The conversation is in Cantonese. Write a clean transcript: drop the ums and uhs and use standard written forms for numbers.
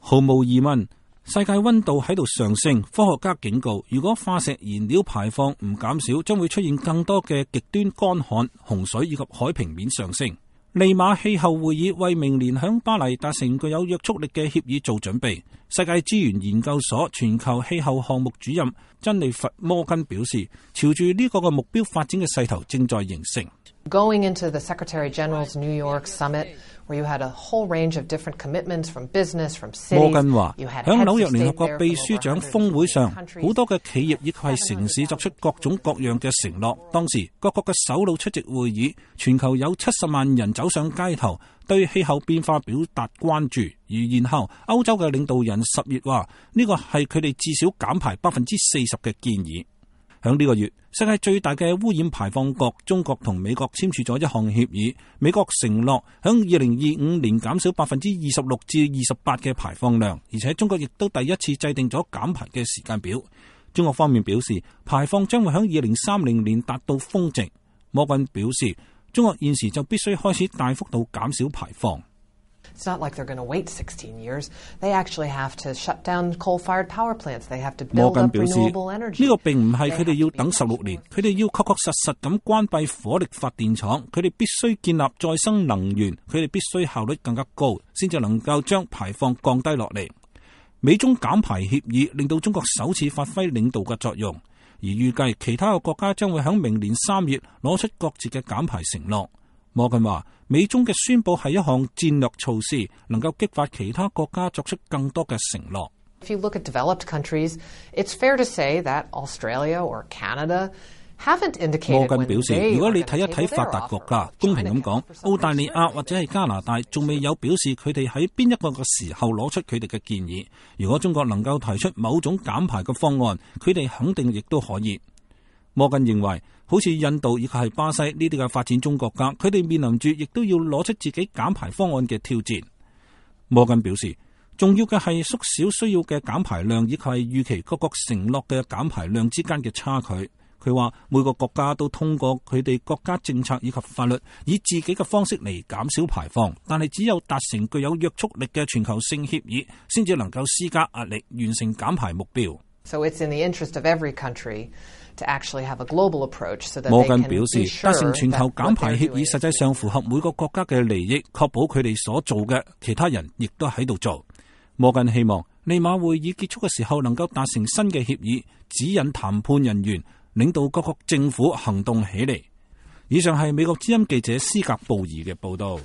毫無疑問，世界溫度喺度上升，科學家警告，如果化石燃料排放唔減少，將會出現更多嘅極端乾旱、洪水以及海平面上升。利馬氣候會議為明年響巴黎達成具有約束力嘅協議做準備。世界資源研究所全球氣候項目主任珍妮佛摩根表示，朝住呢個目標發展嘅勢頭正在形成。Going into the Secretary General's New York Summit, where you had a whole range of different commitments from business, from cities. 摩根話，響紐約聯合國秘書長峰會上，好多嘅企業以及係城市作出各種各樣嘅承諾。當時各國嘅首腦出席會議，全球有70萬人走上街頭，對氣候變化表達關注。而然後歐洲嘅領導人10月話，呢個係佢哋至少減排40%嘅建議。響呢個月，世界最大嘅污染排放國中國同美國簽署咗一項協議，美國承諾響2025年減少26%至28%嘅排放量，而且中國亦都第一次制定咗減排嘅時間表。中國方面表示，排放將會響2030年達到峰值。摩根表示，中國現時就必須開始大幅度減少排放。It's not like they're going to wait 16 years. They actually have to shut down coal-fired power plants. They have to build up renewable energy. 呢個並唔係佢哋要等16年，佢哋要確確實實咁關閉火力發電廠，佢哋必須建立再生能源，佢哋必須效率更加高，先至能夠將排放降低落嚟。美中減排協議令到中國首次發揮領導嘅作用，而預計其他嘅國家將會喺明年3月攞出各自嘅減排承諾。摩根話，美中嘅宣佈係一項戰略措施，能夠激發其他國家作出更多嘅承諾。If you look at developed countries, it's fair to say that Australia or Canada haven't indicated. 摩根表示，如果你睇一睇發達國家，公平咁講，澳大利亞或者係加拿大仲未有表示佢哋喺邊一個嘅時候攞出佢哋嘅建議。如果中國能夠提出某種減排嘅方案，佢哋肯定亦都可以。摩根認為，好似印度以及係巴西呢啲嘅發展中國家，佢哋面臨住亦都要攞出自己減排方案嘅挑戰。摩根表示，重要嘅係縮小需要嘅減排量，以及係預期各國承諾嘅減排量之間嘅差距。佢話每個國家都通過佢哋國家政策以及法律，以自己嘅方式嚟減少排放，但係只有達成具有約束力嘅全球性協議，先至能夠施加壓力，完成減排目標。So it's in the interest of every country to actually have a global approach so that 摩 they 根 can 表 be 示， sure 達成全球 that 減 what 排 they're 協議 doing 實際上符合每個國家嘅利益，確保佢哋所做嘅其他人亦都喺度做。摩根希望利馬會議結束嘅時候能夠達成新嘅協議，指引談判人員領導各國政府行動起嚟。以上係美國之音記者斯格布爾嘅報道。